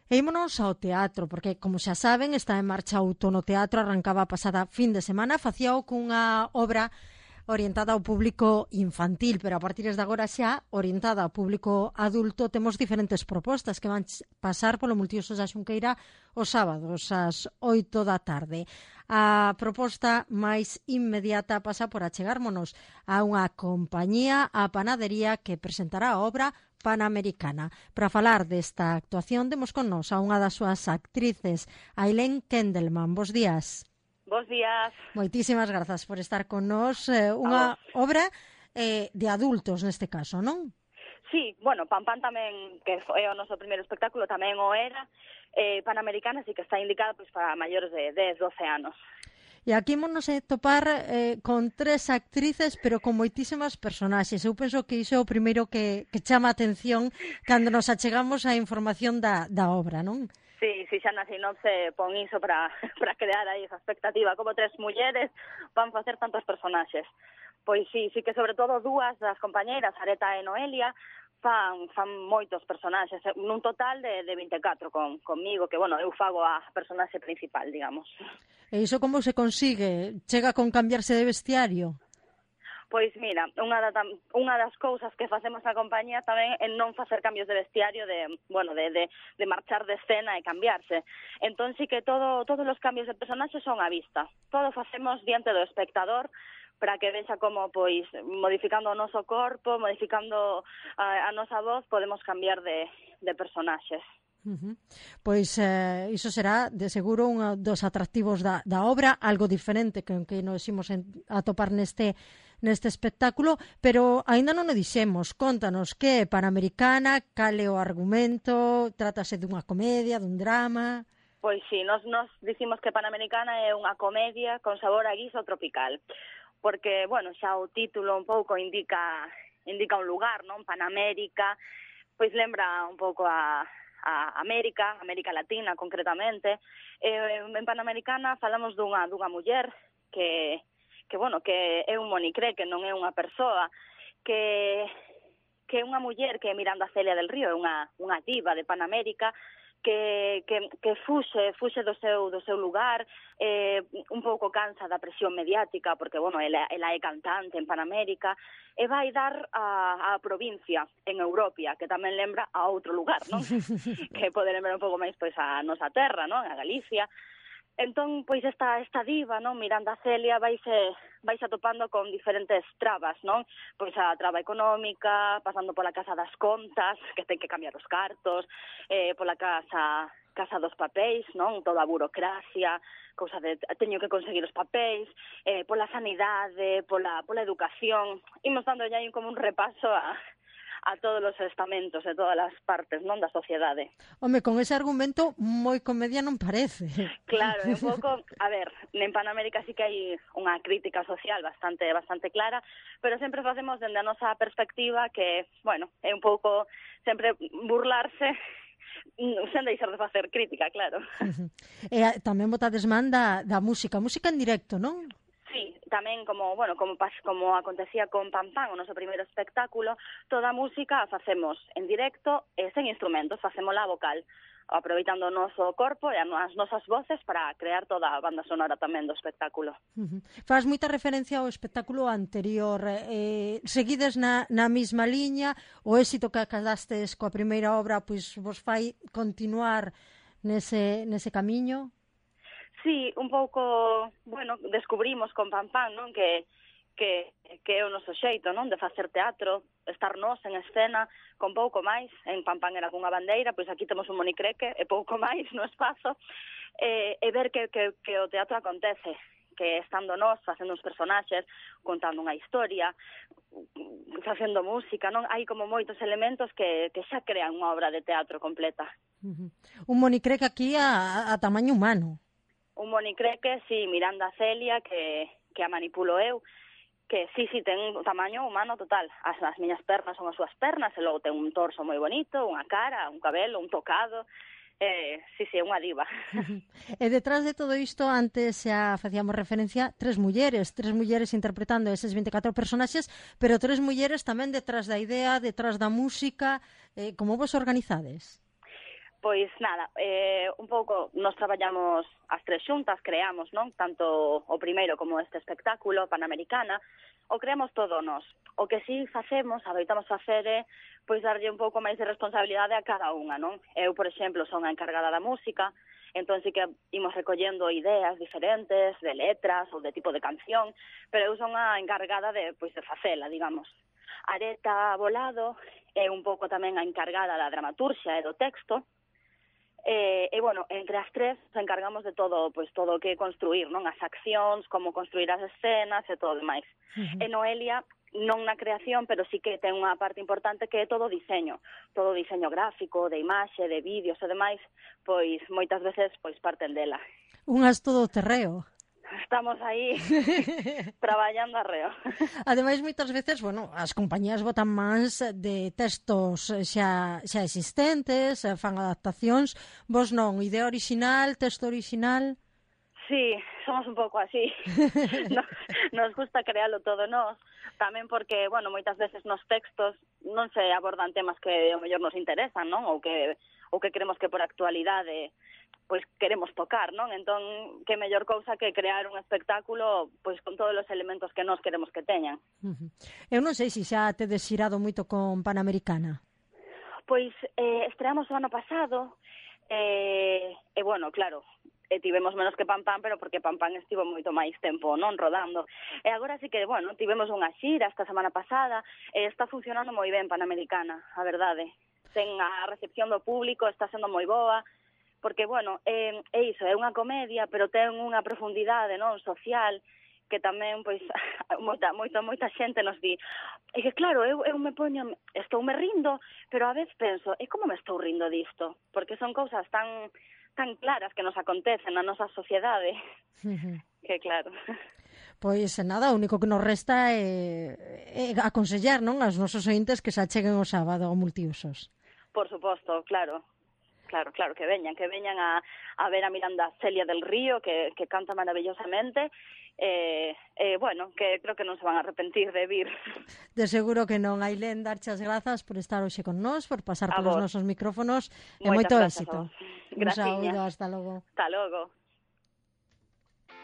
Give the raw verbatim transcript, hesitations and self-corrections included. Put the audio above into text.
E ímonos ao teatro, porque, como xa saben, está en marcha o Outono Teatro, arrancaba a pasada fin de semana, facíao cunha obra orientada ao público infantil, pero a partir de agora xa orientada ao público adulto. Temos diferentes propostas que van pasar polo Multiusos da Xunqueira os sábados ás oito da tarde. A proposta máis inmediata pasa por achegármonos a unha compañía, a Panadería, que presentará a obra Panamericana. Para falar desta actuación, demos con nos a unha das súas actrices, Ailén Kendelman. Bos días. Bos días. Moitísimas grazas por estar con nos. Eh, unha obra eh, de adultos neste caso, non? Sí, bueno, Pan Pan tamén, que é o noso primeiro espectáculo, tamén o era. Eh, Panamericana sí que está indicada pois, para maiores de dez, doce anos. E aquí ímonos a topar eh, con tres actrices, pero con moitísimas personaxes. Eu penso que iso é o primeiro que, que chama a atención cando nos achegamos á información da, da obra, non? Sí, sí, xa na sinopse pon iso para, para crear aí esa expectativa. Como tres mulleres van facer tantos personaxes. Pois sí, sí que sobre todo dúas das compañeiras, Areta e Noelia, fan, fan moitos personaxes, nun total de, de vinte e catro con, conmigo, que, bueno, eu fago a personaxe principal, digamos. E iso como se consigue? Chega con cambiarse de vestiario? Pois mira, unha, da, unha das cousas que facemos na compañía tamén é non facer cambios de vestiario, de, bueno, de, de, de marchar de escena e cambiarse. Entón sí que todo, todos os cambios de personaxe son á vista. Todo facemos diante do espectador, para que vexa como, pois, modificando o noso corpo, modificando a, a nosa voz, podemos cambiar de, de personaxes. Uh-huh. Pois eh, iso será, de seguro, un dos atractivos da, da obra, algo diferente que, que nos imos a topar neste, neste espectáculo, pero aínda non o dixemos. Contanos que é Panamericana, cal é o argumento, trátase dunha comedia, dun drama... Pois sí, nos, nos dicimos que Panamericana é unha comedia con sabor a guiso tropical. Porque, bueno, xa o título un pouco indica indica un lugar, non? Panamérica, pois lembra un pouco a, a América, América Latina concretamente. Eh, en Panamericana falamos dunha dunha muller que que bueno, que é un monicré, que non é unha persoa, que que é unha muller que é Miranda Celia del Río, é unha unha diva de Panamérica, que, que, que fuxe, fuxe do seu, do seu lugar, eh, un pouco cansa da presión mediática, porque, bueno, ela, ela é cantante en Panamérica, e vai dar a, a provincia en Europia, que tamén lembra a outro lugar, non? Que pode lembrar un pouco máis, pois, a nosa terra, non? A Galicia. Entón, pois, esta, esta diva, non? Miranda Celia vaise, vaise atopando con diferentes trabas, non? Pois a traba económica, pasando pola casa das contas, que ten que cambiar os cartos, eh, pola casa casa dos papéis, non? Toda a burocracia, cousa de teño que conseguir os papéis, eh, pola sanidade, pola, pola educación. Imos dando ya como un repaso a... a todos os estamentos e todas as partes, non, da sociedade. Home, con ese argumento moi comedia non parece. Claro, é un pouco, a ver, en Panamérica sí que hai unha crítica social bastante bastante clara, pero sempre facemos dende a nosa perspectiva que, bueno, é un pouco sempre burlarse sen deixar de facer crítica, claro. E tamén botades man da, da música, música en directo, non? Sí, tamén como, bueno, como pas, como acontecía con Pan Pan, o noso primeiro espectáculo, toda a música a facemos en directo e sen instrumentos, facémola vocal, aproveitando o noso corpo e as nosas voces para crear toda a banda sonora tamén do espectáculo. Uh-huh. Faz moita referencia ao espectáculo anterior. Eh, seguides na, na mesma liña, o éxito que acadastes coa primeira obra pois vos fai continuar nese, nese camiño? Sí, un pouco, bueno, descubrimos con Pan Pan, non, que que que é o noso xeito, non, de facer teatro, estar nós en escena con pouco máis. En Pan Pan era cunha bandeira, pois aquí temos un monicreque e pouco máis no espazo, e, e ver que, que, que o teatro acontece, que estando nós facendo uns personaxes, contando unha historia, facendo música, non, hai como moitos elementos que, que xa crean unha obra de teatro completa. Uh-huh. Un monicreque aquí a, a tamaño humano. Un monicreque, sí, Miranda Celia, que, que a manipulo eu, que sí, sí, ten un tamaño humano total. As, as miñas pernas son as súas pernas, e logo ten un torso moi bonito, unha cara, un cabelo, un tocado. Eh, sí, sí, é unha diva. E detrás de todo isto, antes xa facíamos referencia, tres mulleres, tres mulleres interpretando eses vinte e catro personaxes, pero tres mulleres tamén detrás da idea, detrás da música. Eh, como vos organizades? Pois nada, eh, un pouco nos traballamos as tres xuntas, creamos, non? Tanto o primeiro como este espectáculo, Panamericana, o creamos todo nós. O que si facemos, adoitamos facer é, pois darlle un pouco máis de responsabilidade a cada unha, non? Eu, por exemplo, son a encargada da música, entón sí que imos recollendo ideas diferentes, de letras ou de tipo de canción, pero eu son a encargada de, pois, de facela, digamos. Areta Volado é un pouco tamén a encargada da dramaturxia e do texto, E, e, bueno, entre as tres nos encargamos de todo, pois todo o que construir, non? As accións, como construir as escenas e todo o demais. Uh-huh. E Noelia, non na creación, pero sí que ten unha parte importante que é todo o diseño. Todo o diseño gráfico, de imaxe, de vídeos e demais, pois moitas veces pois parten dela. Unhas todo terreo. Estamos aí traballando arreo. Ademais, moitas veces, bueno, as compañías botan mans de textos xa, xa existentes, fan adaptacións. Vos non, idea original, texto original? Sí, somos un pouco así. nos, nos gusta crealo todo nós. Tamén porque, bueno, moitas veces nos textos non se abordan temas que ao mellor nos interesan, non? Ou que, ou que queremos que por actualidade pois queremos tocar, non? Entón, que mellor cousa que crear un espectáculo pois con todos os elementos que nós queremos que teñan. Uh-huh. Eu non sei se xa tedes xirado moito con Panamericana. Pois eh, estreamos o ano pasado e, e bueno, claro, e tivemos menos que Pam Pam, pero porque Pam Pam estivo moito máis tempo, non, rodando. E agora sí que, bueno, tivemos unha xira esta semana pasada e está funcionando moi ben Panamericana, a verdade. Ten a recepción do público, está sendo moi boa, porque, bueno, é, é iso, é unha comedia, pero ten unha profundidade, non, social, que tamén, pois, moita, moita, moita xente nos di. E que, claro, eu, eu me poño, estou me rindo, pero a vez penso, e como me estou rindo disto? Porque son cousas tan tan claras que nos acontecen na nosa sociedade, uh-huh. que claro. Pois nada, o único que nos resta é, é aconsellar, non, aos nosos ointes que se acheguen o sábado ao Multiusos. Por suposto, claro. Claro, claro, que veñan, que veñan a, a ver a Miranda Celia del Río, que, que canta maravillosamente, e, eh, eh, bueno, que creo que non se van a arrepentir de vir. De seguro que non. Ailén, darchas grazas por estar hoxe con nós, por pasar a polos vos. nosos micrófonos, e Moitas moito éxito. Un saúdo, hasta logo. Hasta logo.